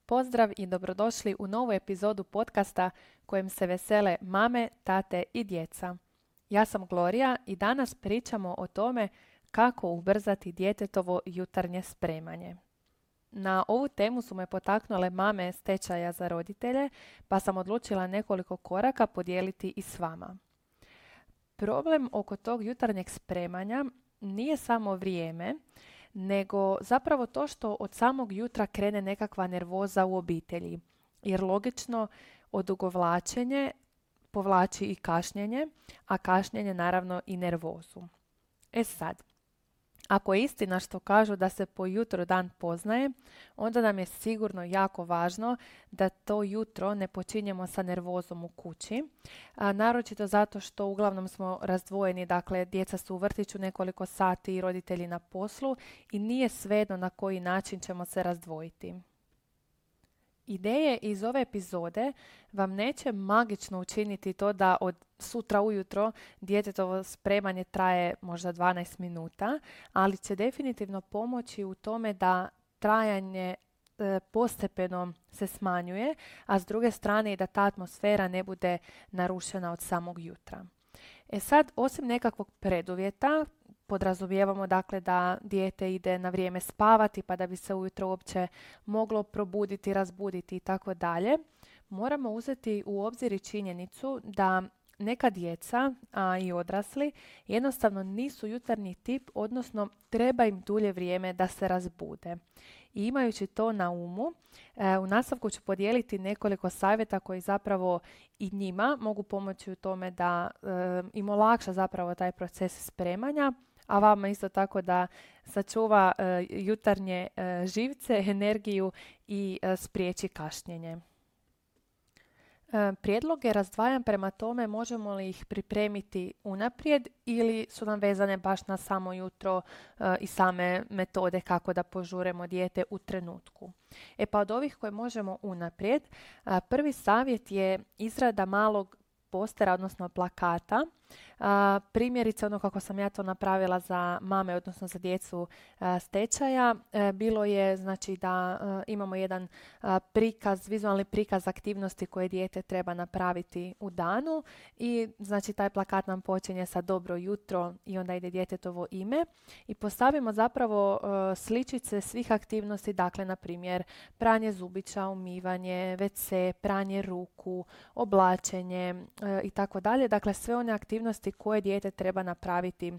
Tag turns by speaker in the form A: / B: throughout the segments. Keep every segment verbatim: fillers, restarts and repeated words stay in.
A: Pozdrav i dobrodošli u novu epizodu podcasta kojem se vesele mame, tate i djeca. Ja sam Gloria i danas pričamo o tome kako ubrzati djetetovo jutarnje spremanje. Na ovu temu su me potaknule mame s tečaja za roditelje, pa sam odlučila nekoliko koraka podijeliti i s vama. Problem oko tog jutarnjeg spremanja nije samo vrijeme, nego zapravo to što od samog jutra krene nekakva nervoza u obitelji. Jer logično odugovlačenje povlači i kašnjenje, a kašnjenje naravno i nervozu. E sad, ako je istina što kažu da se po jutru dan poznaje, onda nam je sigurno jako važno da to jutro ne počinjemo sa nervozom u kući, a naročito zato što uglavnom smo razdvojeni, dakle djeca su u vrtiću nekoliko sati i roditelji na poslu i nije svejedno na koji način ćemo se razdvojiti. Ideje iz ove epizode vam neće magično učiniti to da od sutra ujutro djetetovo spremanje traje možda dvanaest minuta, ali će definitivno pomoći u tome da trajanje e, postepeno se smanjuje, a s druge strane i da ta atmosfera ne bude narušena od samog jutra. E sad, osim nekakvog preduvjeta, podrazumijevamo dakle da dijete ide na vrijeme spavati pa da bi se ujutro uopće moglo probuditi, razbuditi i tako dalje. Moramo uzeti u obzir i činjenicu da neka djeca, a i odrasli, jednostavno nisu jutarnji tip, odnosno treba im dulje vrijeme da se razbude. I imajući to na umu, e, u nastavku ću podijeliti nekoliko savjeta koji zapravo i njima mogu pomoći u tome da e, im olakša zapravo taj proces spremanja, a vama isto tako da sačuva e, jutarnje e, živce, energiju i e, spriječi kašnjenje. E, prijedloge razdvajam prema tome možemo li ih pripremiti unaprijed ili su nam vezane baš na samo jutro e, i same metode kako da požuremo dijete u trenutku. E pa od ovih koje možemo unaprijed, a, prvi savjet je izrada malog postera, odnosno plakata. A, primjerice, ono kako sam ja to napravila za mame, odnosno za djecu a, s tečaja, e, bilo je znači da a, imamo jedan a, prikaz, vizualni prikaz aktivnosti koje dijete treba napraviti u danu i znači taj plakat nam počinje sa dobro jutro i onda ide djetetovo ime i postavimo zapravo a, sličice svih aktivnosti, dakle na primjer pranje zubića, umivanje, ve ce, pranje ruku, oblačenje e, i tako dalje, dakle sve one aktivnosti koje dijete treba napraviti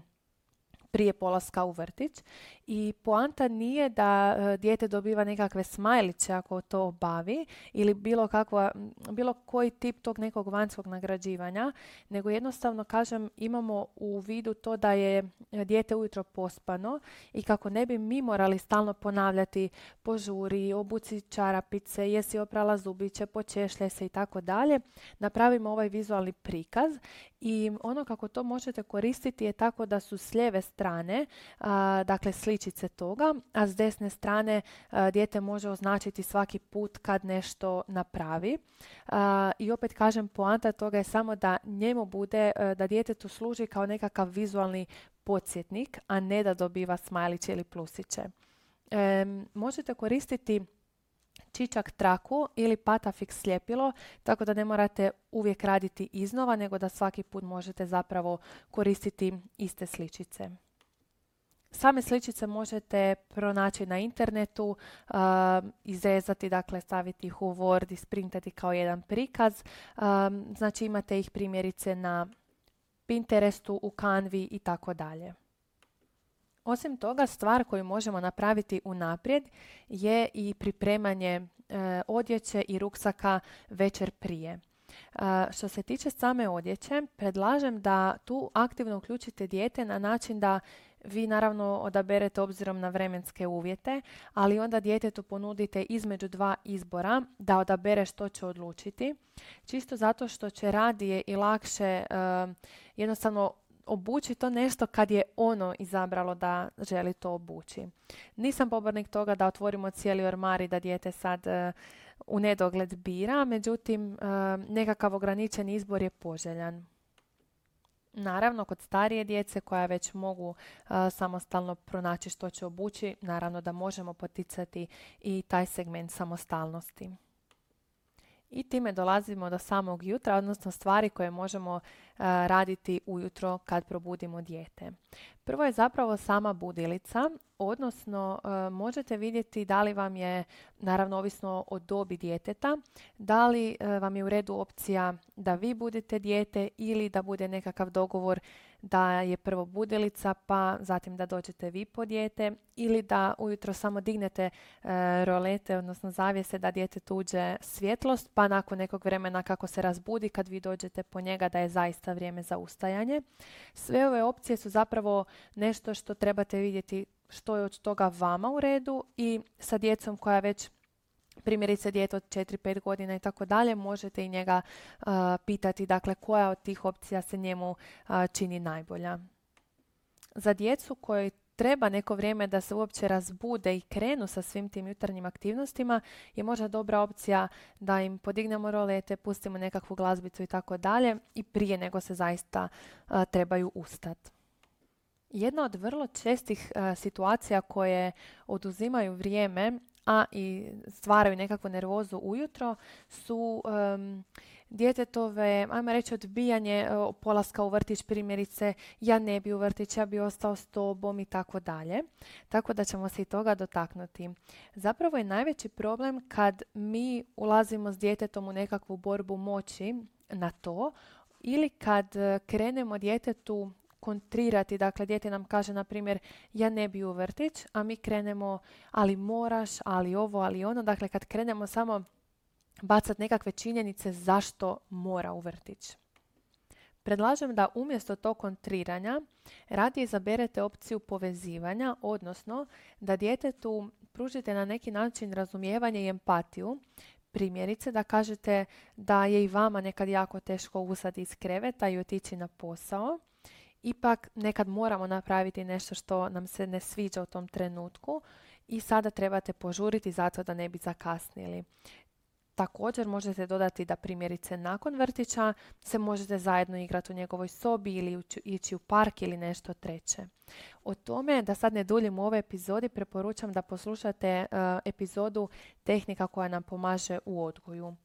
A: prije polaska u vrtić. I poanta nije da e, dijete dobiva nekakve smajliće ako to obavi ili bilo, kakva, bilo koji tip tog nekog vanjskog nagrađivanja, nego jednostavno kažem imamo u vidu to da je dijete ujutro pospano i kako ne bi mi morali stalno ponavljati požuri, obuci čarapice, jesi oprala zubiće, počešlje se i tako dalje, napravimo ovaj vizualni prikaz i ono kako to možete koristiti je tako da su s lijeve strane, a, dakle sličice toga, a s desne strane a, dijete može označiti svaki put kad nešto napravi. A, I opet kažem, poanta toga je samo da njemu bude, a, da djetetu služi kao nekakav vizualni podsjetnik, a ne da dobiva smajliće ili plusiće. E, možete koristiti čičak traku ili patafix sljepilo, tako da ne morate uvijek raditi iznova, nego da svaki put možete zapravo koristiti iste sličice. Same sličice možete pronaći na internetu, uh, izrezati, dakle staviti ih u Word, isprintati kao jedan prikaz. Uh, znači imate ih primjerice na Pinterestu, u Canvi i tako dalje. Osim toga, stvar koju možemo napraviti unaprijed je i pripremanje e, odjeće i ruksaka večer prije. E, što se tiče same odjeće, predlažem da tu aktivno uključite dijete na način da vi naravno odaberete obzirom na vremenske uvjete, ali onda djetetu ponudite između dva izbora da odabere što će odlučiti. Čisto zato što će radije i lakše e, jednostavno obući to nešto kad je ono izabralo da želi to obući. Nisam pobornik toga da otvorimo cijeli ormar i da dijete sad uh, u nedogled bira, međutim uh, nekakav ograničen izbor je poželjan. Naravno, kod starije djece koja već mogu uh, samostalno pronaći što će obući, naravno da možemo poticati i taj segment samostalnosti. I time dolazimo do samog jutra, odnosno stvari koje možemo uh, raditi ujutro kad probudimo dijete. Prvo je zapravo sama budilica, odnosno uh, možete vidjeti da li vam je, naravno ovisno o dobi djeteta, da li uh, vam je u redu opcija da vi budete dijete ili da bude nekakav dogovor da je prvo budilica pa zatim da dođete vi po dijete, ili da ujutro samo dignete uh, rolete, odnosno zavjese da djetetu uđe svjetlost, pa nakon nekog vremena kako se razbudi kad vi dođete po njega da je zaista vrijeme za ustajanje. Sve ove opcije su zapravo nešto što trebate vidjeti što je od toga vama u redu, i sa djecom koja već, primjerice dijete od četiri pet godina i tako dalje, možete i njega uh, pitati dakle koja od tih opcija se njemu uh, čini najbolja. Za djecu kojoj treba neko vrijeme da se uopće razbude i krenu sa svim tim jutarnjim aktivnostima je možda dobra opcija da im podignemo rolete, pustimo nekakvu glazbicu i tako dalje i prije nego se zaista uh, trebaju ustati. Jedna od vrlo čestih uh, situacija koje oduzimaju vrijeme, a i stvaraju nekakvu nervozu ujutro, su um, djetetove, ajmo reći, odbijanje uh, polaska u vrtić, primjerice ja ne bi u vrtić, ja bi ostao s tobom i tako dalje. Tako da ćemo se i toga dotaknuti. Zapravo je najveći problem kad mi ulazimo s djetetom u nekakvu borbu moći na to, ili kad uh, krenemo djetetu kontrirati, dakle dijete nam kaže na primjer ja ne bi u vrtić, a mi krenemo ali moraš, ali ovo, ali ono, dakle kad krenemo samo bacati nekakve činjenice zašto mora u vrtić. Predlažem da umjesto tog kontriranja radije izaberete opciju povezivanja, odnosno da djetetu pružite na neki način razumijevanje i empatiju. Primjerice da kažete da je i vama nekad jako teško ustati iz kreveta i otići na posao. Ipak nekad moramo napraviti nešto što nam se ne sviđa u tom trenutku i sada trebate požuriti zato da ne bi zakasnili. Također možete dodati da primjerice nakon vrtića se možete zajedno igrati u njegovoj sobi ili ići u park ili nešto treće. O tome, da sad ne duljim u ovoj epizodi, preporučam da poslušate uh, epizodu Tehnika koja nam pomaže u odgoju.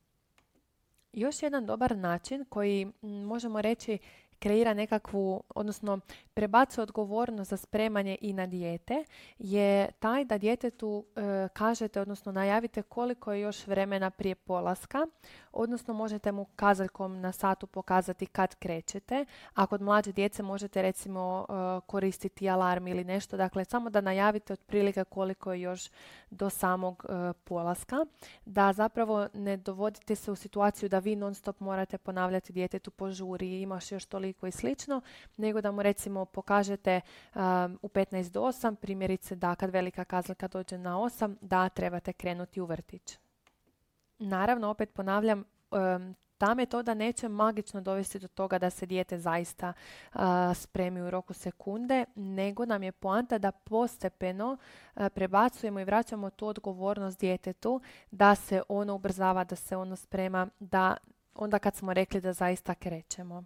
A: Još jedan dobar način koji možemo reći kreira nekakvu, odnosno prebacuje odgovornost za spremanje i na dijete, je taj da djetetu e, kažete, odnosno najavite koliko je još vremena prije polaska, odnosno možete mu kazaljkom na satu pokazati kad krećete, a kod mlađe djece možete recimo e, koristiti alarm ili nešto, dakle samo da najavite otprilike koliko je još do samog e, polaska, da zapravo ne dovodite se u situaciju da vi non stop morate ponavljati djetetu požuri, imaš još toliko i slično, nego da mu recimo pokažete um, u petnaest do osam, primjerice da kad velika kazaljka dođe na osam, da trebate krenuti u vrtić. Naravno, opet ponavljam, um, ta metoda neće magično dovesti do toga da se dijete zaista uh, spremi u roku sekunde, nego nam je poanta da postepeno uh, prebacujemo i vraćamo tu odgovornost djetetu, da se ono ubrzava, da se ono sprema, da onda kad smo rekli da zaista krećemo.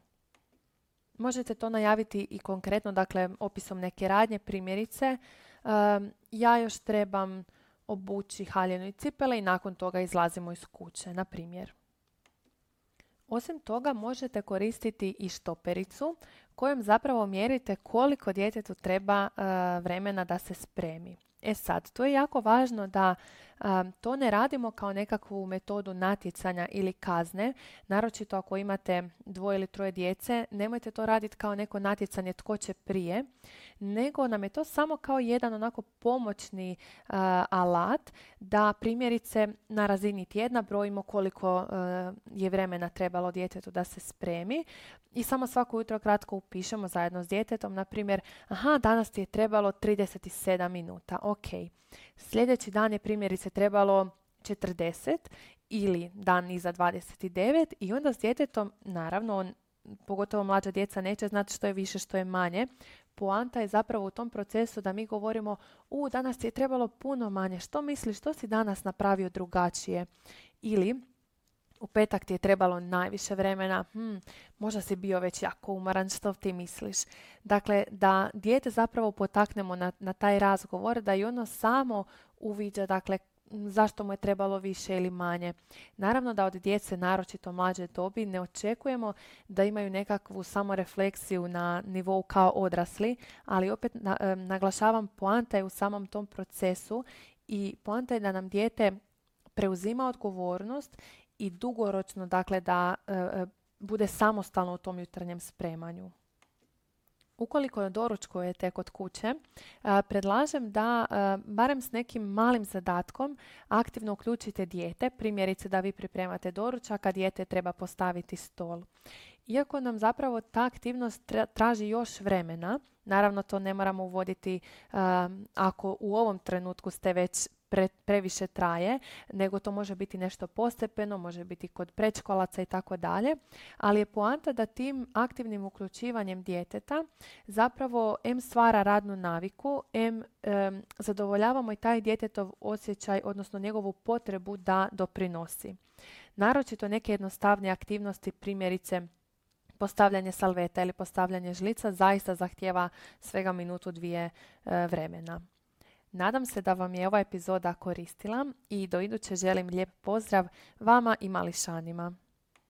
A: Možete to najaviti i konkretno, dakle, opisom neke radnje, primjerice. Um, ja još trebam obući haljinu i cipele i nakon toga izlazimo iz kuće, na primjer. Osim toga, možete koristiti i štopericu kojom zapravo mjerite koliko djetetu treba uh, vremena da se spremi. E sad, to je jako važno da um, to ne radimo kao nekakvu metodu natjecanja ili kazne, naročito ako imate dvoje ili troje djece, nemojte to raditi kao neko natjecanje tko će prije, nego nam je to samo kao jedan onako pomoćni uh, alat da primjerice na razini tjedna brojimo koliko uh, je vremena trebalo djetetu da se spremi i samo svako jutro kratko upišemo zajedno s djetetom, na primjer, aha, danas ti je trebalo trideset sedam minuta, ok. Sljedeći dan je primjerice trebalo četrdeset ili dan iza dvadeset devet i onda s djetetom, naravno, on, pogotovo mlađa djeca, neće znati što je više, što je manje. Poanta je zapravo u tom procesu da mi govorimo, u, danas ti je trebalo puno manje, što misliš, što si danas napravio drugačije? Ili u petak ti je trebalo najviše vremena, hm, možda si bio već jako umoran, što ti misliš? Dakle, da dijete zapravo potaknemo na, na taj razgovor, da i ono samo uviđa, dakle, zašto mu je trebalo više ili manje. Naravno da od djece, naročito mlađe dobi, ne očekujemo da imaju nekakvu samorefleksiju na nivou kao odrasli, ali opet na, e, naglašavam, poanta je u samom tom procesu i poanta je da nam dijete preuzima odgovornost i dugoročno, dakle, da e, e, bude samostalno u tom jutarnjem spremanju. Ukoliko doručkujete kod kuće, predlažem da barem s nekim malim zadatkom aktivno uključite dijete, primjerice da vi pripremate doručak, a dijete treba postaviti stol. Iako nam zapravo ta aktivnost traži još vremena, naravno to ne moramo uvoditi ako u ovom trenutku ste već Pre, previše traje, nego to može biti nešto postepeno, može biti kod predškolaca i tako dalje, ali je poanta da tim aktivnim uključivanjem djeteta zapravo em stvara radnu naviku, em em, zadovoljavamo i taj djetetov osjećaj, odnosno njegovu potrebu da doprinosi. Naročito neke jednostavne aktivnosti, primjerice postavljanje salveta ili postavljanje žlica, zaista zahtijeva svega minutu dvije e, vremena. Nadam se da vam je ova epizoda koristila i do iduće želim lijep pozdrav vama i mališanima.